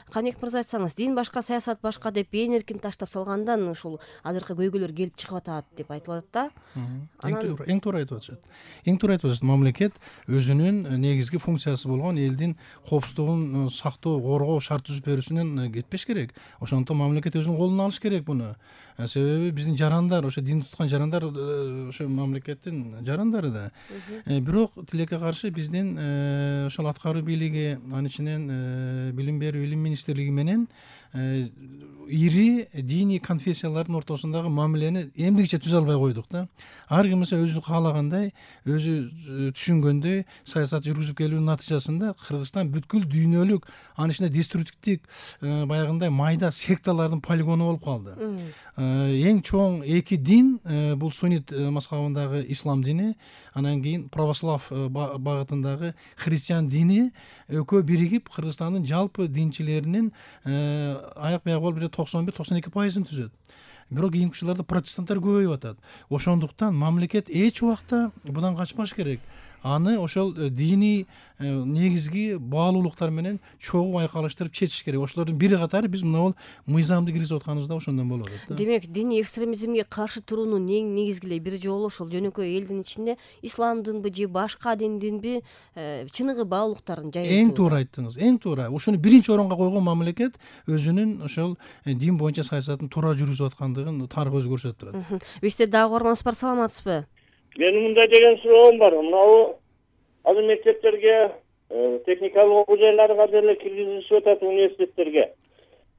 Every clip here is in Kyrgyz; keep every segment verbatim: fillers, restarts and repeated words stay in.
Каныбек мырза, айтсаңыз, дин башка, саясат башка деп ээн эркин таштап салгандан ушул азыркы көйгөйлөр келип чыгып атат деп айтылып атат да. Эң туура, эң туура айтып атышат. Эң туура айтып атышат. Мамлекет өзүнүн негизги функциясы болгон элдин коопсуздугун сактоо, коргоо шарт түзүп берүүсүнөн кетпеш керек. Ошондуктан мамлекет өзүнүн колуна алыш керек буну. Себеби биздин жарандар, ошо дин туткан жарандар ошо мамлекеттин жарандары да. Бирок тилекке каршы биздин ошол аткаруу бийлиги, анын ичинен билим берүү илим министрлиги менен ири диний конфессиялардын ортосундагы мамилени эмдигиче түзө албай койдук да. Ар ким өзү каалагандай, өзү түшүнгөндөй саясат жүргүзүп келүүнүн натыйжасында Кыргызстан бүткүл дүйнөлүк, анын ичинде деструктивдик баягындай майда секталардын полигону болуп калды. Эң чоң эки дин бул суннит мазхабындагы ислам дини, анан кийин православ багытындагы христиан дини экөө биригип Кыргызстандын жалпы динчилеринин аяк бияк болуп токсон бир токсон эки пайызын түзөт. Бирок кийинки жылдарда протестанттар көбөйүп атат. Ошондуктан мамлекет эч убакта будан качпаш керек. Аны ошол диний негизги баалуулуктар менен чогуу айкалыштырып чечиш керек. Ошолордун бири катары биз мына бул мыйзамды киргизип атканыбыз да ошондон болуп атат. Демек, диний экстремизмге каршы туруунун эң негизги эле бир жолу ошол жөнөкөй элдин ичинде исламдынбы же башка диндинби чыныгы баалуулуктарын жайылтуу. Эң туура айттыңыз, эң туура. Ушуну биринчи орунга койгон мамлекет өзүнүн ошол дин боюнча саясатын туура жүргүзүп аткандыгын тарых өзү көрсөтүп турат. Бизде дагы угарманыбыз бар, саламатсызбы? Менин мындай деген суроом бар. Мынау азыр мектептерге, техникалык окуу жайларга деле киргизишип атат, университеттерге.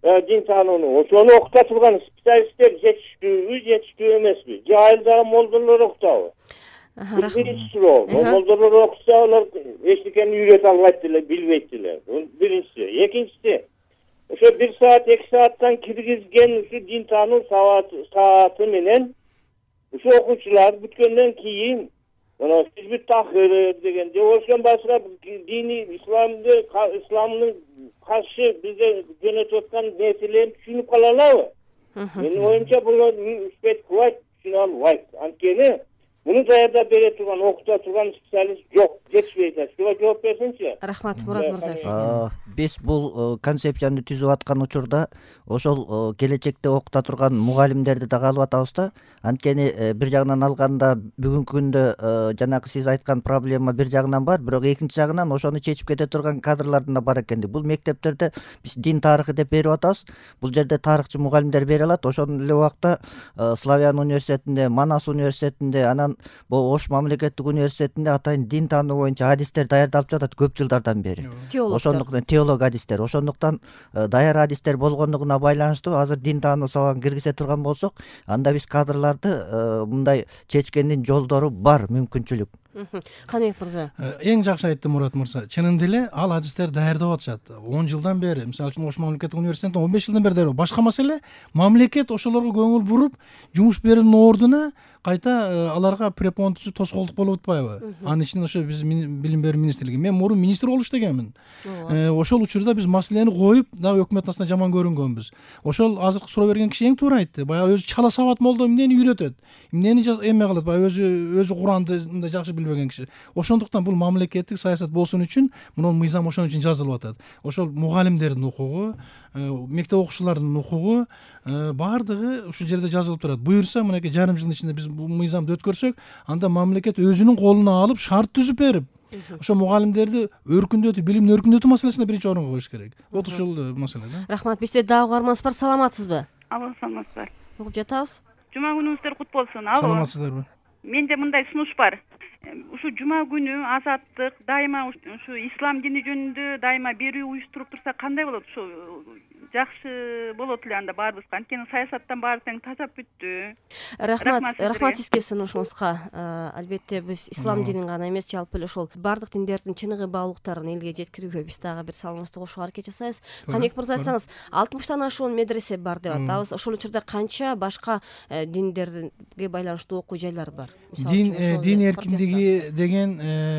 Дин таанууну ошону окута турган специалисттер жетиштүүбү, жетиштүү эмеспи? Же айылдагы молдолор окутабы? Биринчи суроо. Молдолор окуса, алар эчтекени үйрөтө албайт деле, билбейт деле. Бул биринчиси. Экинчиси, ошо бир саат, эки сааттан киргизген ушу дин таануу сааты менен ушу окуучулар бүткөндөн кийин мына хизбит тахыр деген же ошон башка диний исламды исламдын каршы бизге жөнөтүп аткан нерселерин түшүнүп кала алабы? Менин оюмча бул үчпөйт кылбайт, түшүнө албайт. Анткени муну даярдап бере турган, окута турган специалист жок, жетишпейт. Ушуга жооп берсеңчи. Рахмат, Мурат мырза. Биз бул концепцияны түзүп аткан учурда ошол келечекте окута турган мугалимдерди дагы алып атабыз да. Анткени бир жагынан алганда бүгүнкү күндө жанагы сиз айткан проблема бир жагынан бар, бирок экинчи жагынан ошону чечип кете турган кадрлардын да бар экендиги. Бул мектептерде биз дин тарыхы деп берип атабыз. Бул жерде тарыхчы мугалимдер бере алат. Ошол эле убакта Славян университетинде, Манас университетинде, анан бул Ош мамлекеттик университетинде атайын дин таануу боюнча адистер даярдалып жатат көп жылдардан бери. Ошондуктан теолог адистер, ошондуктан даяр адистер болгондугуна байланыштуу азыр дин таануу сабагын киргизе турган болсок, анда биз кадрларды мындай чечкендин жолдору бар, мүмкүнчүлүк. Каныбек мырза. Эң жакшы айтты Мурат мырза. Чынында эле ал адистер даярдап атышат. он жылдан бери, мисалы үчүн Ош мамлекеттик университетинде он беш жылдан бери даярдап. Башка маселе, мамлекет ошолорго көңүл буруп, жумуш берүүнүн ордуна кайта аларга препон түзүп тоскоолдук болуп атпайбы? Анын ичинде ошо биз билим берүү министрлиги. Мен мурун министр болуш дегенмин. Ошол учурда биз маселени коюп, дагы өкмөт астында жаман көрүнгөнбүз. Ошол азыркы суроо берген киши эң туура айтты. Баягы өзү чала сабат молдо эмнени үйрөтөт? Эмнени эме кылат? Баягы өзү өзү Куранды мындай жакшы билбеген киши. Ошондуктан бул мамлекеттик саясат болсун үчүн мына мыйзам ошон үчүн жазылып атат. Ошол мугалимдердин укугу, мектеп окуучуларынын укугу баардыгы ушул жерде жазылып турат. Буюрса, мынакей жарым жылдын ичинде биз бул мыйзамды өткөрсөк, анда мамлекет өзүнүн колуна алып шарт түзүп берип, ошо мугалимдерди өркүндөтүү, билимди өркүндөтүү маселесине биринчи орунга коюш керек. Вот ушул маселе да. Рахмат. Бизде дагы угарманыбыз бар, саламатсызбы? Алло, саламатсыздар. Угуп жатабыз. Жума күнүңүздөр кут болсун. Алло. Саламатсыздарбы? Менде мындай сунуш бар. Ушу жума күнү азаттык дайыма ушу ислам дини жөнүндө дайыма берүү уюштуруп турса кандай болот? Ушу жакшы болот эле анда баарыбызга. Анткени саясаттан баары тең тажап бүттү. Рахмат, рахмат сизге сунушуңузга. Албетте биз ислам динин гана эмес, жалпы эле ошол бардык диндердин чыныгы баалуулуктарын элге жеткирүүгө биз дагы бир салымыбызды кошууга аракет жасайбыз. Каныбек мырза, айтсаңыз, алтымыштан ашуун медресе бар деп атабыз. Ошол учурда канча башка диндерге байланыштуу окуу жайлар бар? Дин дин эркиндиги деген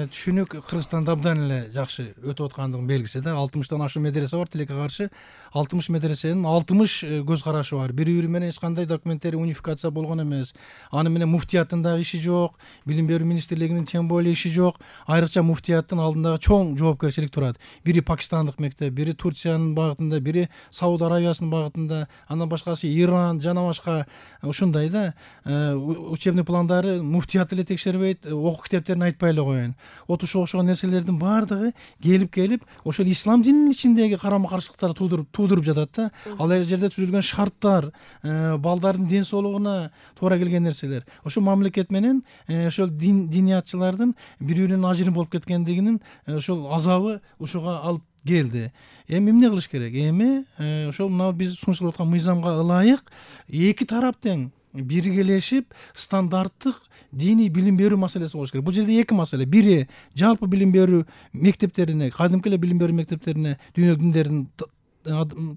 түшүнүк Кыргызстанда абдан эле жакшы өтүп аткандыгынын белгиси да. алтымыштан ашуун медресе бар, тилекке каршы алтымыш алтымыш медресенин алтымыш көз карашы бар. Бири бири менен эч кандай документтери унификация болгон эмес. Аны менен муфтияттын дагы иши жок, билим берүү министрлигинин тем более иши жок. Айрыкча муфтияттын алдындагы чоң жоопкерчилик турат. Бири пакистандык мектеп, бири Турциянын багытында, бири Сауд Аравиясынын багытында, андан башкасы Иран жана башка ушундай да учебный пландары муфтият эле текшербейт, окуу китептерин айтпай эле коеюн. Вот ошого окшогон нерселердин баардыгы келип-келип ошол ислам дининин ичиндеги карама-каршылыктарды туудуруп туудуруп жатат да. Ал жерде түзүлгөн шарттар, балдардын ден соолугуна туура келген нерселер. Ошо мамлекет менен ошол дин диниятчылардын бири-биринен ажырым болуп кеткендигинин ошол азабы ушуга алып келди. Эми эмне кылыш керек? Эми ошол мына биз сунушталып аткан мыйзамга ылайык эки тарап тең биргелешип стандарттык диний билим берүү маселеси болуш керек. Бул жерде эки маселе. Бири жалпы билим берүү мектептерине, кадимки эле билим берүү мектептерине дүйнө диндеринин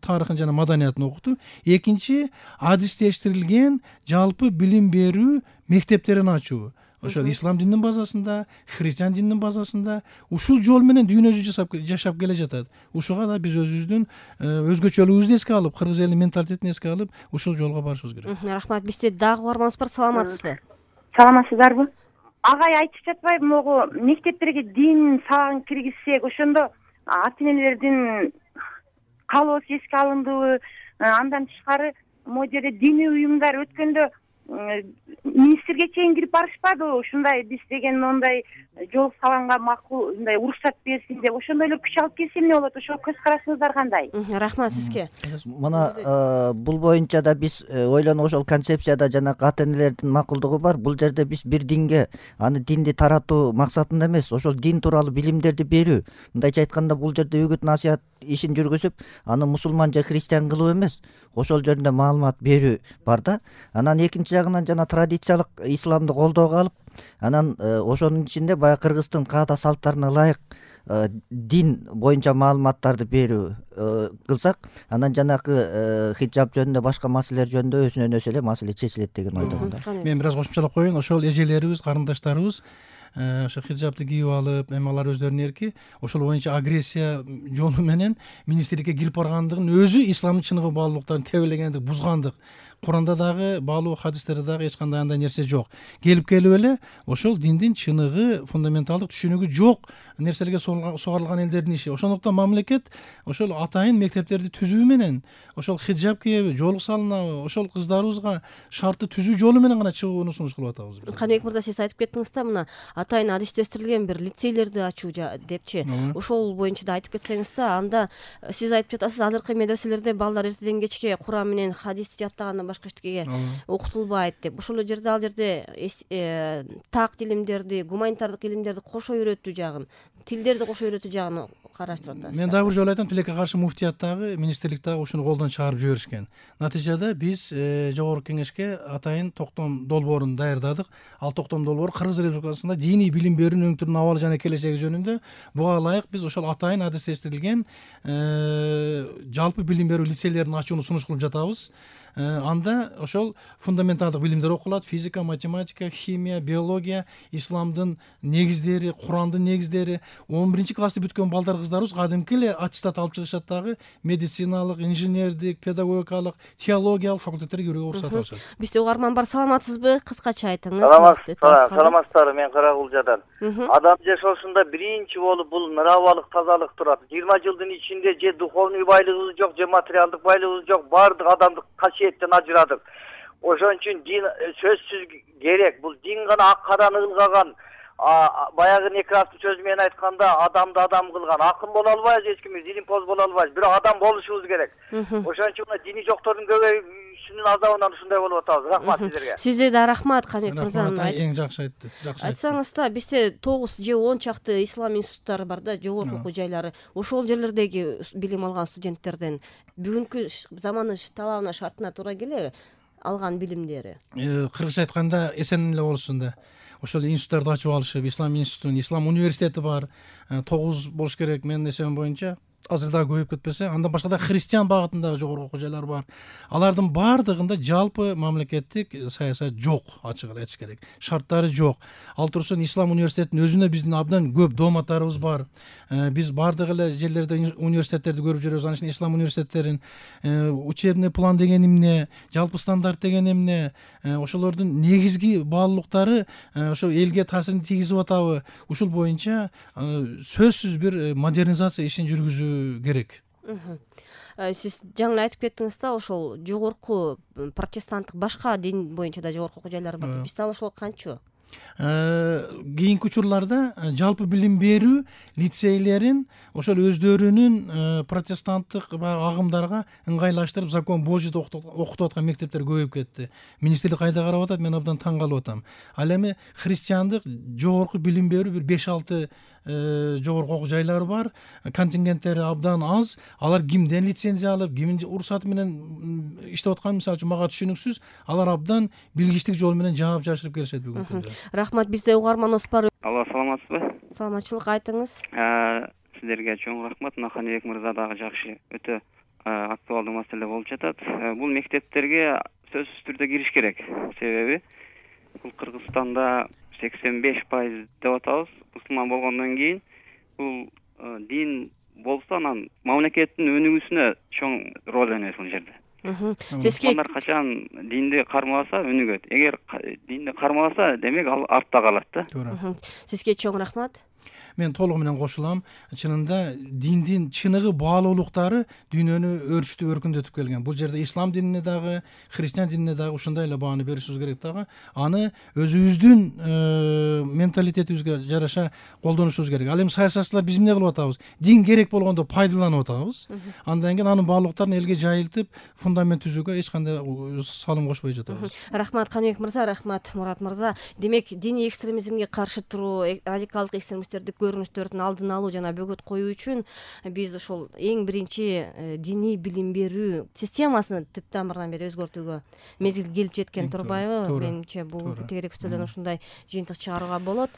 тарыхын жана маданиятын окутуу. Экинчи адистештирилген жалпы билим берүү мектептерин ачуу. Ошол ислам дининин базасында, христиан дининин базасында ушул жол менен дүйнө жүзү жашап жашап келе жатат. Ушуга да биз өзүбүздүн өзгөчөлүгүбүздү эске алып, кыргыз элинин менталитетин эске алып, ушул жолго барышыбыз керек. Рахмат. Бизде дагы угарманыбыз бар. Саламатсызбы? Саламатсыздарбы? Агай айтып жатпайбы, могу мектептерге дин сабагын киргизсек, ошондо ата энелердин каалоосу эске алындыбы? Андан тышкары могу жерде диний уюмдар өткөндө министрге чейин кирип барышпадыбы? Ушундай биз деген мондай жол салганга макул, мындай уруксат берсин деп, ошондой эле күч алып келсе эмне болот? Ошол көз карашыңыздар кандай? Рахмат сизге. Мына бул боюнча да биз ойлонуп ошол концепцияда жана ата энелердин макулдугу бар. Бул жерде биз бир динге, аны динди таратуу максатында эмес, ошол дин тууралуу билимдерди берүү. Мындайча айтканда бул жерде үгүт насыят ишин жүргүзүп, аны мусулман же христиан кылуу эмес, ошол жөнүндө маалымат берүү бар да. Анан экинчи жагынан жана традициялык исламды колдоого алып, анан ошонун ичинде баягы Кыргыздын каада салттарына ылайык дин боюнча маалыматтарды берүү кылсак, анан жанакы хиджаб жөнүндө, башка маселелер жөнүндө өзүнөн өзү эле маселе чечилет деген ойдомун да. Мен бир аз кошумчалап коеюн. Ошол эжелерибиз, карындаштарыбыз ошо хиджабты кийип алып, эми алар өздөрүнүн эрки, ошол боюнча агрессия жолу менен министрликке кирип баргандыгын өзү исламдын чыныгы баалуулуктарын тебелегендик, бузгандык. Куранда дагы, баалуу хадистерде дагы эч кандай андай нерсе жок. Келип келип эле ошол диндин чыныгы, фундаменталдык түшүнүгү жок нерселерге сугарылган элдердин иши. Ошондуктан мамлекет ошол атайын мектептерди түзүү менен, ошол хиджаб кийеби, жоолук салынабы, ошол кыздарыбызга шартты түзүү жолу менен гана чыгууну сунуш кылып атабыз. Каныбек мырза, сиз айтып кеттиңиз да, мына атайын адистештирилген бир лицейлерди ачуу депчи. Ошол боюнча да айтып кетсеңиз да, анда сиз айтып жатасыз, азыркы медреселерде балдар эртеден кечке Куран менен хадисти жаттагандан башка эчтеке окутулбайт деп. Ошол жерде ал жерде так илимдерди, гуманитардык илимдерди кошо үйрөтүү жагын, тилдерди кошо үйрөтүү жагын караштырып атасыз. Мен дагы бир жолу айтам, тилекке каршы муфтият дагы, министрлик дагы ушуну колдон чыгарып жиберишкен. Натыйжада биз жогорку кеңешке атайын токтом долбоорун даярдадык. Ал токтом долбоор Кыргыз Республикасында диний билим берүүнүн өңтүрүнүн абалы жана келечеги жөнүндө буга ылайык биз ошол атайын адистештирилген жалпы билим берүү лицейлерин ачууну сунуш кылып жатабыз. Анда ошол фундаменталдык билимдер окулат: физика, математика, химия, биология, исламдын негиздери, Курандын негиздери. он биринчи классты бүткөн балдар, кыздарыбыз кадимки эле аттестат алып чыгышат дагы, медициналык, инженердик, педагогикалык, теологиялык факультеттерге кирүүгө уруксат алышат. Бизде угарман бар. Саламатсызбы? Кыскача айтыңыз. Саламатсыздарбы? Мен Карагулжадан. Адам жашоосунда биринчи болуп бул мыравалык тазалык турат. жыйырма жылдын ичинде же духовный байлыгыбыз жок, же материалдык байлыгыбыз жок, баардык адамдык касиеттен ажырадык. Ошон үчүн дин сөзсүз керек. Бул дин гана ак караны ылгаган. Баягы Некрастын сөзү менен айтканда, адамды адам кылган. Акын боло албайбыз, эч кимиз илимпоз боло албайбыз, бирок адам болушубуз керек. Ошон үчүн дини жоктордун көбөйүүсүнүн азабынан ушундай болуп атабыз. Рахмат сиздерге. Сизге да рахмат, Каныбек мырза. Эң жакшы айтты. Айтсаңыз да, бизде тогуз же он чакты ислам институттары бар да, жогорку окуу жайлары. Ошол жерлердеги билим алган студенттерден бүгүнкү заманын талабына, шартына туура келеби алган билимдери? Кыргызча айтканда эсен эле болушун да. Ошол институттарды ачып алышып, ислам институтун, ислам университети бар, тогуз болуш керек менин эсебим боюнча. азыр дагы көбөйүп кетпесе, андан башка да христиан багытындагы жогорку окуу жайлар бар. Алардын баардыгында жалпы мамлекеттик саясат жок, ачык эле айтыш керек. Шарттары жок. Ал турсун Ислам университетинин өзүнө биздин абдан көп дооматтарыбыз бар. Биз баардык эле жерлерде университеттерди көрүп жүрөбүз. Анын ичинде ислам университеттерин учебный план деген эмне, жалпы стандарт деген эмне, ошолордун негизги баалуулуктары ошо элге таасирин тийгизип атабы, ушул боюнча сөзсүз бир модернизация ишин жүргүзүү керек. Сиз жаңы айтып кеттиңиз да, ошол жогорку протестанттык башка дин боюнча да жогорку окуу жайлар бар. Бизде ал ошол кантчу? Кийинки учурларда жалпы билим берүү лицейлерин ошол өздөрүнүн протестанттык баягы агымдарга ыңгайлаштырып, закон Божийди окутуп аткан мектептер көбөйүп кетти. Министрлик кайда карап атат, мен абдан таң калып атам. Ал эми христиандык жогорку билим берүү бир беш алты жогорку окуу жайлары бар. Контингенттери абдан аз. Алар кимден лицензия алып, кимдин уруксаты менен иштеп атканы мисалы үчүн мага түшүнүксүз. Алар абдан билгичтик жол менен жаап жашырып келишет бүгүнкү күндө. Рахмат, бизде угарманыбыз бар. Алло, саламатсызбы? Саламатчылык, айтыңыз. Сиздерге чоң рахмат. Мына Каныбек мырза дагы жакшы, өтө актуалдуу маселе болуп жатат. Бул мектептерге сөзсүз түрдө кириш керек. Себеби бул Кыргызстанда сексен беш пайыз деп атабыз. Мусулман болгондон кийин бул дин болсо анан мамлекеттин өнүгүүсүнө чоң роль ойнойт бул жерде. Мусулмандар качан динди кармабаса өнүгөт. Эгер динди кармабаса, демек ал артта калат да. Туура. Сизге чоң рахмат. Мен толугу менен кошулам. Чынында диндин чыныгы баалуулуктары дүйнөнү өрчүтүп өркүндөтүп келген. Бул жерде ислам динине дагы, христиан динине дагы ушундай эле бааны беришибиз керек дагы. Аны өзүбүздүн менталитетибизге жараша колдонушубуз керек. Ал эми саясатчылар биз эмне кылып атабыз? Дин керек болгондо пайдаланып атабыз. Андан кийин анын баалуулуктарын элге жайылтып, фундамент түзүүгө эч кандай салым кошпой жатабыз. Рахмат Каныбек мырза, рахмат Мурат мырза. Демек, диний экстремизмге каршы туруу, радикалдык экстремисттерди көрүнүштөрдүн алдын алуу жана бөгөт коюу үчүн биз ошол эң биринчи диний билим берүү системасын түп тамырынан бери өзгөртүүгө мезгил келип жеткен турбайбы? Менимче бул тегерек үстөлдөн ушундай жыйынтык чыгарууга болот.